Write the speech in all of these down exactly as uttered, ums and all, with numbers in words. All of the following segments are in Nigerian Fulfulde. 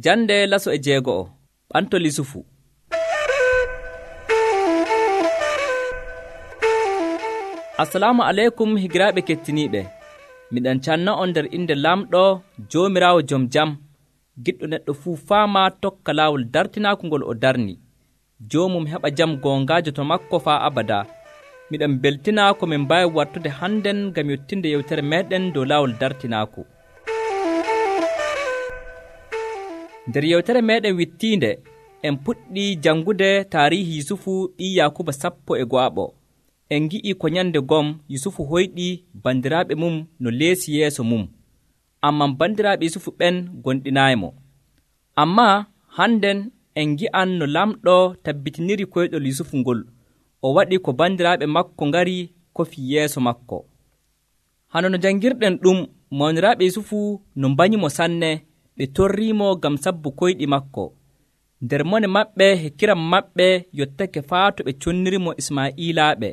Jande laso e jeego'o ɓantol Yusufu. Assalamu aleykum higiraaɓe kettiniiɓe. Miɗen canna on nder inde lamɗo Joomiraawo jom jam, giɗɗo neɗɗo fuu faama tokka laawol dartinaaku ngol o darni. Joomum heɓa jam goongaajo to makko faa abada. Miɗen beltina ko min mbaawi wartude hannden ngam yottinde yewtere meeɗen dow laawol dartinaaku. Nder yewtere meeɗen wittiinde en puɗɗii janngude taarihi Yusufu ɓii Yaakuba sappo e go'aɓo. En ngi'ii ko nyande gom Yusufu hoyɗii bandiraaɓe mum no leesi yeeso mum, ammaa bandiraaɓe Yusufu ɓen gonɗinaaymo. Ammaa hannden en ngi'an no lamɗo tabbitiniri koyɗol Yusufu ngol, o waɗi ko bandiraaɓe makko ngari kofi yeeso makko. Hano no janngirɗen ɗum, mawniraaɓe Yusufu no mbanyimo sanne, ɓe torriimo ngam sabbu koyɗi makko. Nder mone maɓɓe e kiram maɓɓe yottake faa to ɓe connirimo Ismaa'iilaaɓe.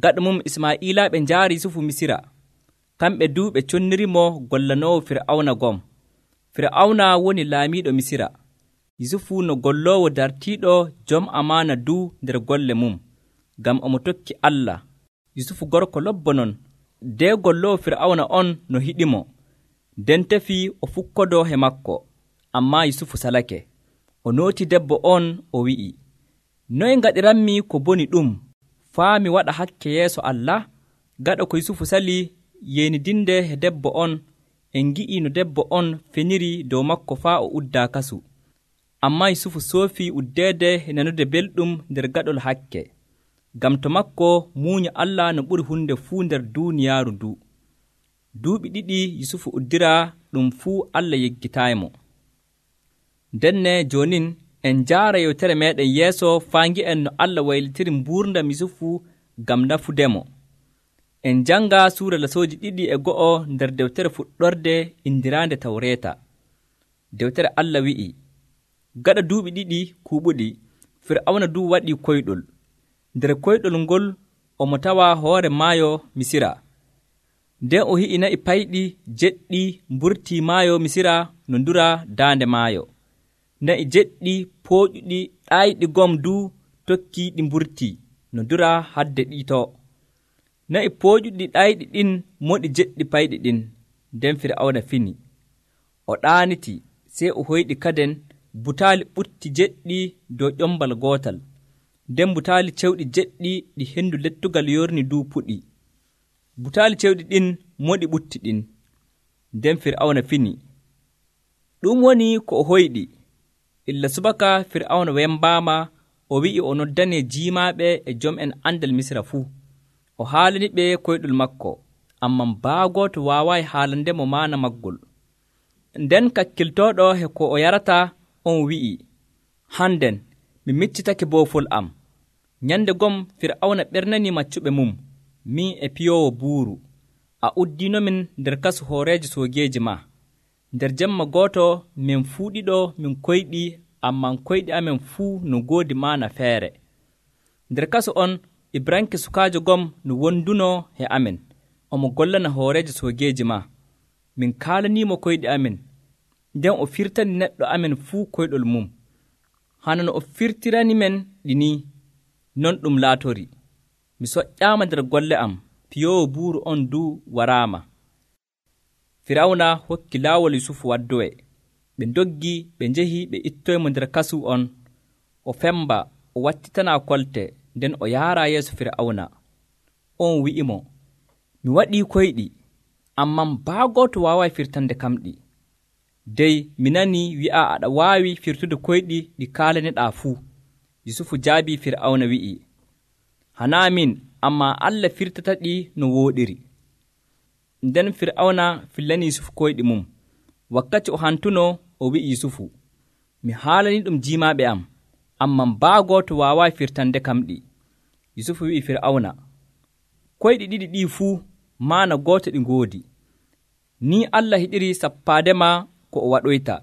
Gaɗa mum Ismaa'iilaaɓe njaari Yusufu Misira. Kamɓe du ɓe connirimo gollanoowo Fir'awna gom. Fir'awna woni laamiiɗo Misira. Yusufu no golloowo dartiiɗo jom amaana du nder golle mum, ngam omo tokki Allah. Yusufu gorko lobbo non, de golloowo Fir'awna on no hiɗimo. nden tefi o fukkodoo he makko, ammaa Yusufu salake. O nooti debbo on, o wi'i, noye ngaɗiranmi ko boni ɗum, faa mi waɗa hakke yeeso Allah? Gaɗa ko Yusufu sali yeenidinde he debbo on, en ngi'ii no debbo on feniri dow makko faa o uddaa kasu. Ammaa Yusufu soofii uddeede he nanude belɗum nder gaɗol hakke, ngam to makko muunya Allah no ɓuri hunde fuu nder duuniyaaru ndu. Duuɓi ɗiɗi Yusufu uddiraa, ɗum fuu Allah yeggitaaymo. Ndenne joonin en njaara yewtere meeɗen yeeso faa ngi'en no Allah waylitiri mbuurndam Yusufu ngam nafudemo. En njanga suura lasooji ɗiɗi e go'o nder dewtere fuɗɗorde indiraande Tawreeta. Dewtere Allah wi'i, gaɗa duuɓi ɗiɗi kuuɓuɗi, Fir'awna du waɗii koyɗol. Nder koyɗol ngol omo tawa hoore maayo Misira. Nden o hi'i na'i payɗi jeɗɗi mburtii maayo Misira no ndura daande maayo. Na'i jeɗɗi pooƴuɗi ɗaayɗi gom du tokkii ɗi mburtii no ndura hadde ɗiito. Na'i pooƴuɗi ɗaayɗi ɗin moɗi jeɗɗi payɗi ɗin. Nden Fir'awna fini. O ɗaaniti, sey o hoyɗi kaden butaali ɓutti jeɗɗi dow ƴombal gootal. Nden butaali cewɗi jeɗɗi ɗi henndu lettugal yorni du puɗi. Butaali cewɗi ɗin moɗi ɓutti ɗin. Nden Fir'awna fini. Ɗum woni ko o hoyɗi. Illa subaka Fir'awna wembaama, o wi'i o noddanee jiimaaɓe e jom'en andal Misra fuu. O haalani ɓe koyɗol makko, ammaa baagooto waawaayi haalandemo maana maggol. Nden kakkiltooɗo he ko o yarata on wi'i, hannden mi miccitake boofol am. Nyande gom Fir'awna ɓernanii maccuɓe mum, min e piyoowo buuru. A uddiinomin nder kasu hooreejo soogeeji maa. Nder jemma gooto min fuu ɗiɗo min koyɗi, ammaa koyɗi amen fuu no ngoodi maana feere. Nder kasu on Ibranke sukaajo gom no wondunoo he amen, omo gollana hooreejo soogeeji maa. Min kaalaniimo koyɗi amen, nden o firtani neɗɗo amen fuu koyɗol mum. Hana no o firtirani men ɗi nii, non ɗum laatori. Mi soƴƴaama nder golle am, piyoowo buuru on du waraama. Firawna hokki laawol Yusufu waddowe. Ɓe ndoggi, ɓe njehi, ɓe ittoymo nder kasu on. O femba, o wattitanaa kolte, nden o yaaraa yeeso Firawna. On wi'imo, mi waɗii koyɗi, ammaa baagooto waaway firtande kamɗi. Dey mi nanii wi'a aɗa waawi firtude koyɗi ɗi kaalaneɗaa fuu. Yusufu jaabii Firawna wi'i, hanaa min, ammaa Allah firtata-ɗi no wooɗiri. Nden Firawna fillani Yusufu koyɗi mum. Wakkati o hantunoo, o wi'i Yusufu, mi haalanii ɗum jiimaaɓe am, ammaa baagooto waawaayi firtande kamɗi. Yusufu wi'i Firawna, koyɗi ɗiɗi ɗii fuu maana gooto ɗi ngoodi. Ni Allah hiɗiri sappaadema ko o waɗoyta.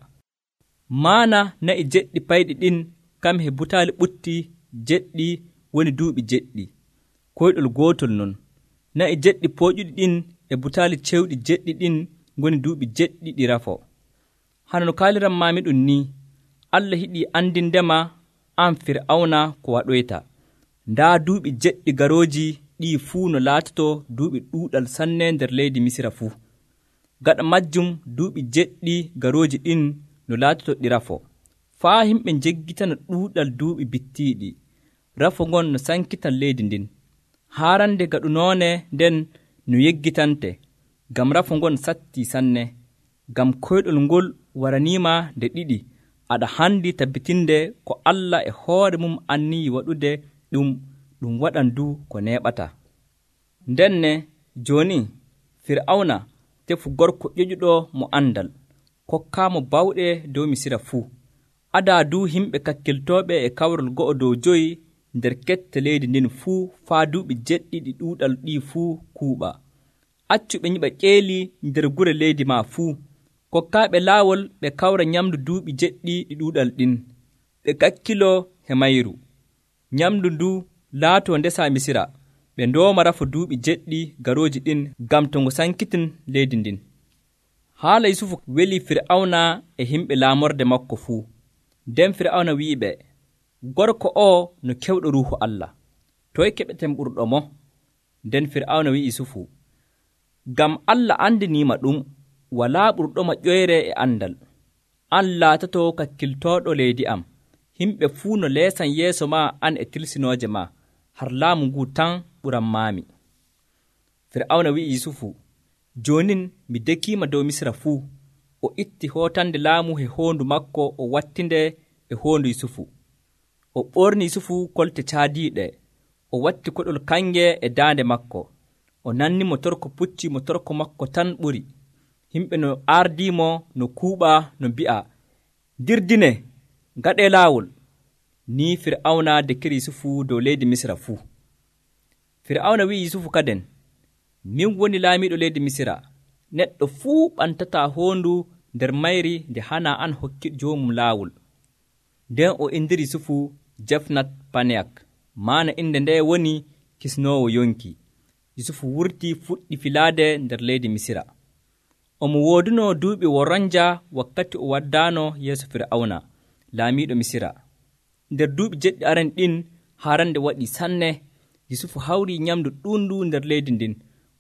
Maana na'i jeɗɗi payɗi ɗin kam he butaali ɓutti jeɗɗi woni duuɓi jeɗɗi. Koyɗol gootol non. Na'i jeɗɗi pooƴuɗi ɗin e butaali cewɗi jeɗɗi ɗin ngoni duuɓi jeɗɗi ɗi rafo. hano no kaaliran maami ɗum ni Allah hiɗi andindema an Fir'auna ko waɗoyta. Ndaa duuɓi jeɗɗi garooji ɗi fuu no laatoto duuɓi ɗuuɗal sanne nder leydi Misira fuu. Gaɗa majjum duuɓi jeɗɗi garooji ɗin no laatoto ɗi rafo, faa himɓe njeggitana ɗuuɗal duuɓi bittiiɗi. Rafo ngon no sankitan leydi ndin. Haarande gaɗunoone nden no yeggitante, ngam rafo ngon sattii sanne, ngam koyɗol ngol waraniima nde ɗiɗi. Aɗa handi tabbitinde ko Allah e hoore mum annii waɗude ɗum ɗum waɗan du ko neeɓata. Ndenne jooni Fir'auna tefu gorko ƴoƴuɗo mo andal, kokkaamo bawɗe dow Misira fuu. Adaa du himɓe kakkiltooɓe e kawrol go'o dow joyi nder kette leydi ndin fuu faa duuɓi jeɗɗi ɗi ɗuuɗal ɗi fuu kuuɓa. Accu ɓe nyiɓa ƴeeli nder gure leydi maa fuu. Kokkaaɓe laawol ɓe kawra nyamdu duuɓi jeɗɗi ɗi ɗuuɗal ɗin, ɓe kakkiloo he mayru. Nyamdu ndu laatoo ndesa Misira, ɓe ndooma rafo duuɓi jeɗɗi garooji ɗin ngam to ngu sankitin leydi ndin. Haala Yusufu weli Fir'auna e himɓe laamorde makko fuu. Nden Fir'auna wi'iɓe, gorko oo no kewɗo Ruuhu Allah, toye keɓeten ɓurɗo mo? Nden Fir'auna wi'i Yusufu, ngam Allah andiniima ɗum, walaa ɓurɗoma ƴoyre e andal. An laatoto kakkiltooɗo leydi am, himɓe fuu no leesan yeeso maa an e tilsinooje maa, har laamu nguu tan ɓuranmaami. Fir'auna wi'i Yusufu, joonin mi dekiima dow Misira fuu. O itti hootande laamu he hoondu makko o wattinde e hoondu Yusufu. O ɓorni Yusufu kolte caadiiɗe, o watti koɗol kange e daande makko. O nanni mo torko pucci mo torko makko tan ɓuri. Himɓe no ardiimo no kuuɓa no mbi'a, dirdine, ngaɗee laawol. Ni Fir'auna dekiri Yusufu dow leydi Misira fuu. Fir'auna wi'i Yusufu kaden, min woni laamiiɗo leydi Misira. Neɗɗo fuu ɓantataa hoondu nder mayri nde hana an hokki joomum laawol. Nden o indiri Yusufu Jefnat Paneyak, maana inde nde woni kisnoowo yonki. Yusufu wurti fuɗɗi filaade nder leydi Misira. Omo wooduno duuɓi woranja wakkati o waddaano yeeso Fir'auna, laamiiɗo Misira. Nder duuɓi jeɗɗi aren ɗin haarande waɗi sanne. Yusufu hawri nyamdu ɗuundu nder leydi ndin.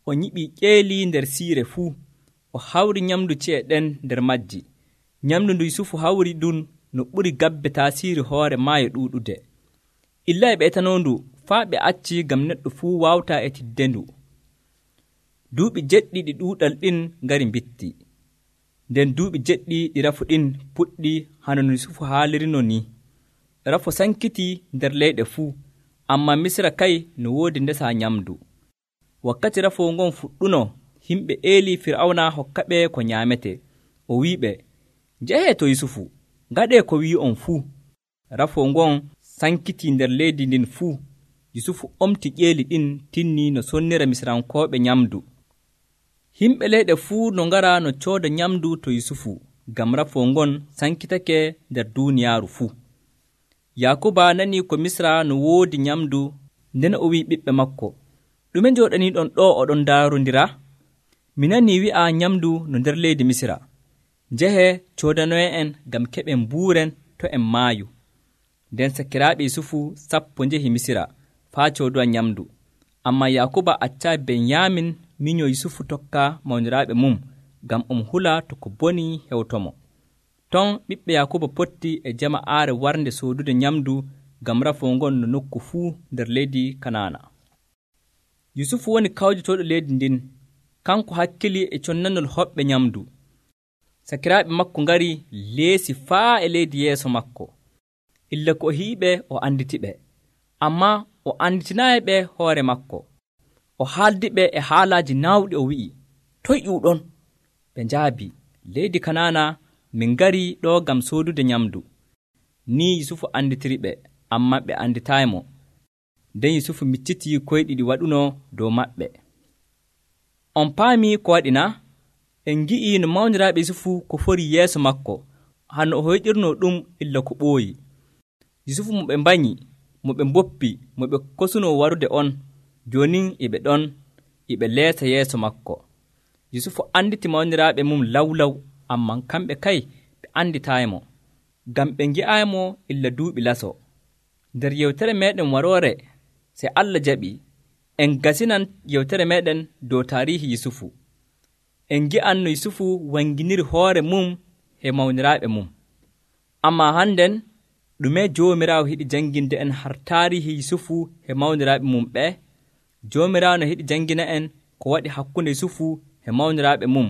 O nyiɓi ƴeeli nder siire fuu. O hawri nyamdu ci'e ɗen nder majji. Nyamdu ndu Yusufu hawri ɗum no ɓuri gabbe taasiiri hoore maayo ɗuuɗude. Illa e ɓeetanondu faa ɓe acci ngam neɗɗo fuu waawtaa etidde ndu. Duuɓi jeɗɗi ɗi ɗuuɗal ɗin ngari mbitti. Nden duuɓi jeɗɗi ɗi rafu ɗin puɗɗi hano no Yusufu haalirino ni. Rafo sankiti nder leyɗe fuu, ammaa Misira kay no woodi ndesa nyamdu. Wakkati rafoo ngon fuɗɗuno, himɓe eeli Fir'auna hokkaɓe ko nyaamete. O wi'iɓe, njehee to Yusufu, ngaɗee ko wi'on fuu. Rafoo ngon sankiti nder leydi ndin fuu. Yusufu omti ƴeeli ɗin tinni no sonnira Misirankooɓe nyamdu. Himɓe leyɗe fuu no ngara no cooda nyamdu to Yusufu, ngam rafoo ngon sankitake nder duuniyaaru fuu. Yakuba nanii ko Misra no woodi nyamdu, nden o wi'i ɓiɓɓe makko, ɗume njooɗaniiɗon ɗo oɗon ndaarondira? Mi nanii wi'a nyamdu no nder leydi Misra. Njehee coodanoye'en ngam keɓen mbuuren to en maayu. Nden sakiraaɓe Yusufu sappo njehi Misira faa cooduwa nyamdu. Ammaa Yakuba accaayi Benyamin miño Yusufu tokka mawniraaɓe mum, ngam omo hula to ko boni hewtomo. Ton ɓiɓɓe Yakuba potti e jama'aare warnde soodude nyamdu ngam rafoo ngon no nokku fuu nder leydi Kanaana. Yusufu woni kawjotooɗo leydi ndin, kanko hakkili e connanol hoɓɓe nyamdu. Sakiraaɓe makko ngari leesi faa e leydi yeeso makko. Illa ko o hiiɓe o anditiɓe, ammaa o anditinaayi ɓe hoore makko. O haaldiɓe e haalaaji naawɗi o wi'i, toye ƴuuɗon? Ɓe njaabi, leydi Kanaana min ngari ɗo ngam soodude nyamdu. Ni Yusufu anditiriɓe, ammaa ɓe anditaaymo. Nden Yusufu miccitii koyɗi ɗi waɗuno dow maɓɓe. On paami ko waɗi na? En ngi'i no mawniraaɓe Yusufu ko fori yeeso makko, hano o hoyɗirnoo ɗum illa ko ɓooyi. Yusufu mo ɓe mbanyi, mo ɓe mboppi, mo ɓe kosunoo warude on, joonin e ɓe ɗon, e ɓe leesa yeeso makko. Yusufu anditi mawniraaɓe mum lawlaw, ammaa kamɓe kay ɓe anditaaymo, ngam ɓe ngi'aaymo illa duuɓi laso. Nder yewtere meeɗen waroore, sey Allah jaɓi en gasinan yewtere meeɗen dow taarihi Yusufu. En ngi'an no Yusufu wanginiri hoore mum e mawniraaɓe mum. Ammaa hannden ɗume Joomiraawo yiɗi janginde en har taarihi Yusufu e mawniraaɓe mum ɓe? Joomiraawo no yiɗi jangina en ko waɗi hakkunde Yusufu e mawniraaɓe mum,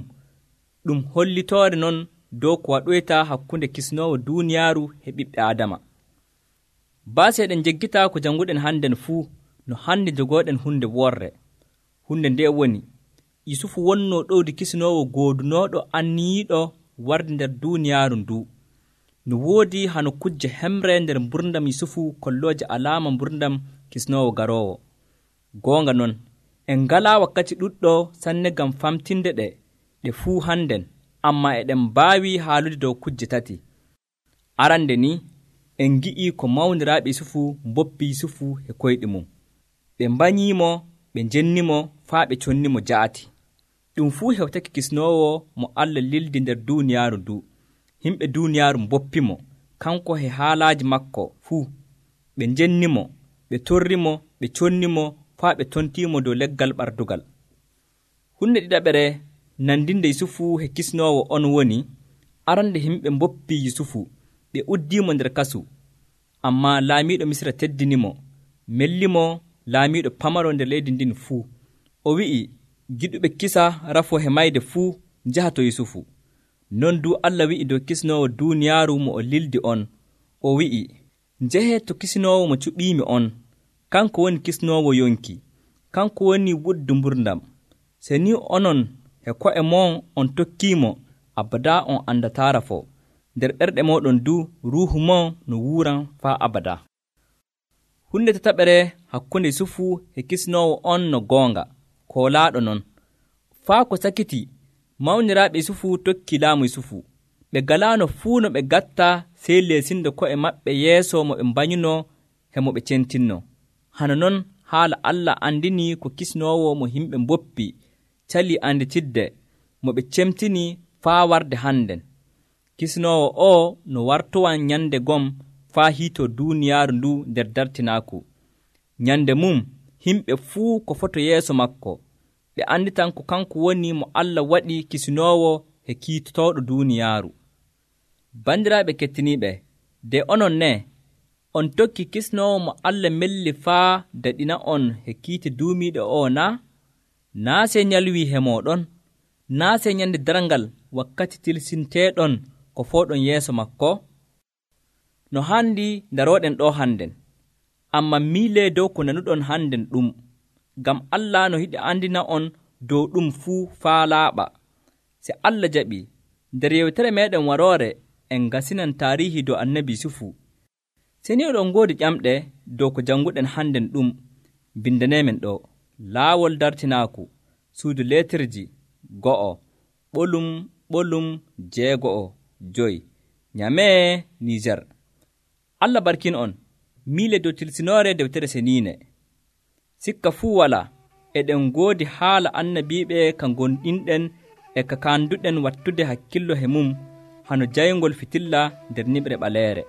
ɗum hollitoore non dow ko waɗoyta hakkunde kisnoowo duuniyaaru e ɓiɓɓe Aadama. Baasi eɗen njeggitaa ko jannguɗen hannden fuu no hande jogooɗen hunde worre. Hunde nde woni Yusufu wonnoo ɗowdi kisnoowo goodunooɗo anniyiiɗo warde nder duuniyaaru nduu. No woodi hano kujje hemre nder mburdam Yusufu kollooje alaama mburdam kisnoowo garoowo. Goonga non, en ngalaa wakkati ɗuɗɗo sanne ngam famtinde ɗe ɗe fuu hannden, ammaa eɗen mbaawi haalude dow kujje tati. Arande ni, en ngi'ii ko mawniraaɓe Yusufu mboppi Yusufu e koyɗi mum. Ɓe mbanyiimo, ɓe njennimo, faa ɓe connimo jaati. Ɗum fuu hewtake kisnoowo mo Allah lildi nder duuniyaaru nduu. Himɓe duuniyaaru mboppimo, kanko e haalaaji makko fuu. Ɓe njennimo, ɓe torrimo, ɓe connimo, faa ɓe tontiimo dow leggal ɓardugal. Hunde ɗiɗaɓere nandinde Yusufu e kisnoowo on woni, arande himɓe mboppi Yusufu, ɓe uddiimo nder kasu. Ammaa laamiiɗo Misra teddinimo, mellimo laamiiɗo pamaro nder leydi ndin fuu. O wi'i, giɗuɓe kisa rafoo e mayde fuu njaha to Yusufu. Non du Allah wi'i dow kisnoowo duuniyaaru mo o lildi on. O wi'i, njehee to kisnoowo mo cuɓiimi on. Kanko woni kisnoowo yonki, kanko woni wuddu mburdam. Se ni onon e ko'e mon on tokkiimo, abada on andataa rafoo. Nder ɓerɗe mooɗon du ruuhu mon no wuuran faa abada. Hunde tataɓere hakkunde Yusufu e kisnoowo on no goonga, koolaaɗo non. Faa ko sakiti, mawniraaɓe Yusufu tokki laamu Yusufu. Ɓe galaano fuu no ɓe gatta sey leesinde ko'e maɓɓe yeeso mo ɓe mbanyunoo e mo ɓe centinno. Hano non haala Allah andini ko kisnoowo mo himɓe mboppi calii anditidde mo ɓe cemtini faa warde hannden. Kisnoowo o no wartowan nyande gom faa hiitoo duuniyaaru ndu nder dartinaaku. Nyande mum himɓe fuu ko foto yeeso makko, ɓe anditan ko kanko woni mo Allah waɗi kisnoowo e kiitotooɗo duuniyaaru. Bandiraaɓe kettiniiɓe, de onon ne on tokki kisnoowo mo Allah melli faa daɗina on e kiite duumiiɗo o naa? Naa sey nyalwii he mooɗon? Naa sey nyande darngal wakkati tilsinteeɗon ko fooɗon yeeso makko? No haandi darooɗen ɗo hannden, ammaa miilee dow ko nanuɗon hannden ɗum, ngam Allah no yiɗi andina on dow ɗum fuu faa laaɓa. Se Allah jaɓi, nder yewtere meeɗen waroore en ngasinan taarihi dow annabi Yusufu. Se ni oɗon ngoodi ƴamɗe dow ko jannguɗen hannden ɗum, bindaneemen ɗo: laawol dartinaaku, suudu leetirji go'o, ɓolum ɓolum jeego'o joyi, Nyamee, Niijer. Allah barkin on, miile dow tilsinoore dewtere seniine. Sikka fuu walaa, eɗen ngoodi haala annabiiɓe ka gonɗinɗen e ka kaanduɗen wattude hakkillo he mum hano jayngol fitilla nder niɓre ɓaleere.